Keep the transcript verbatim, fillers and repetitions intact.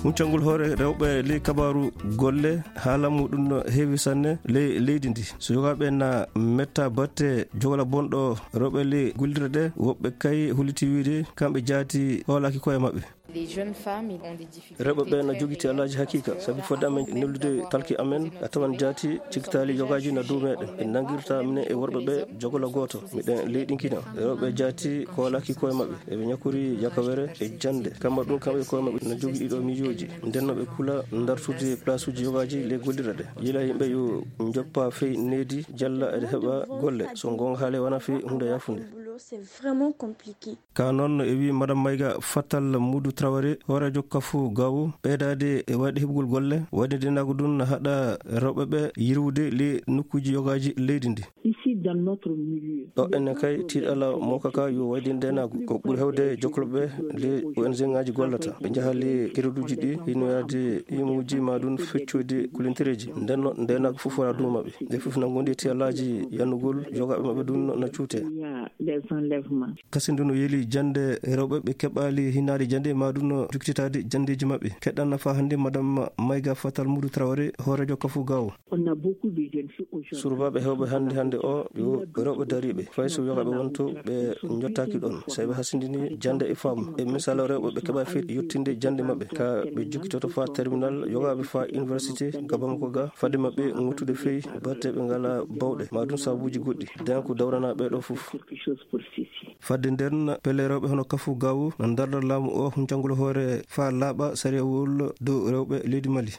Huncangol hoore rewɓe ley kabaaru golle, haala muɗum no heewi sanne ley leydi ndi. So yogaaɓe na metta batte jogola bonɗo rewɓe ley gollirɗe ɗe, woɓɓe kay holiti wiide kamɓe jaati hoolaaki koye maɓɓe. Rewɓe ɓe na jogiti alaaji hakiika, sabi fodde amen neldude talki amen, a tawan jaati cikkitaali yogaaji na dow meɗen. Ɓe nangirta minen e worɓe ɓe jogola gooto. Miɗen leyɗinkina. Rewɓe jaati koolaaki koye maɓɓe. Eɓe ñakori yakawere e jannde. Kamma ɗum, kamɓe koye maɓɓe na jogii ɗiɗo miijooji. Nden no ɓe kula ndartude palaasuuji yogaaji ley gollirɗe ɗe. Yila yimɓe yo njoppa fey needi, jalla eɗe heɓa golle. So ngoonga haale wona fii huunde yaafunde. C'est vraiment compliqué. Ka noon e wii Madame Maïga Fatal Moudou Traoré, hooreejo kafu Gawo, ɓeydaade e wayde heɓugol golle, wayde ndeenaagu ɗum na haɗa rewɓe ɓe yirwude ley nokkuuji yogaaji leydi ndi. Ici, dans notre milieu, ɗo enen kay, tiiɗalla mawka ka yo wayde ndeenaagu. Ko ɓuri heewde jokkolɓe ley O N G ŋaaji gollata. Ɓe njaha ley kereduuji ɗi, hino yaade imuuji ma ɗum feccoyde kulintereeji. Nden no ndeenaagu fof wara dow maɓɓe. Ɓe fof na ngondi e tiiɗallaaji yannugol yogaaɓe maɓɓe ɗum na cuute. Il y a les enlèvements. Kasin ndu no yeli jannde rewɓe ɓe keɓaali hinaade jannde ma ɗum no jukkitaade janndeeji maɓɓe. Keɗɗan nafa hannde Madame Maïga Fatal Moudou Traoré, hooreejo kafu Gawo. On a beaucoup de jeunes filles aujourd'hui. Surbaaɓe heewɓe hannde hannde o yo rewɓe dariiɓe. Fay so yogaaɓe wonto ɓe njottaaki ɗon. Sey ɓe hasindini jannde e faamu. E misal rewɓe ɓe keɓa fii yottinde jannde maɓɓe. Ka ɓe jukkitoto faa terminal, yogaaɓe faa université, ga Bamako ga, fade maɓɓe ŋuttude fii batte ɓe ngala bawɗe. Ma ɗum sabuuji goɗɗi. Den ko dawrana ɓe ɗo fof. Quelque chose pour ceci. Fadde nden, pelle rewɓe hono kafu Gawo na ndarda laamu o huncangol hoore faa laaɓa sariyawol dow rewɓe leydi Mali.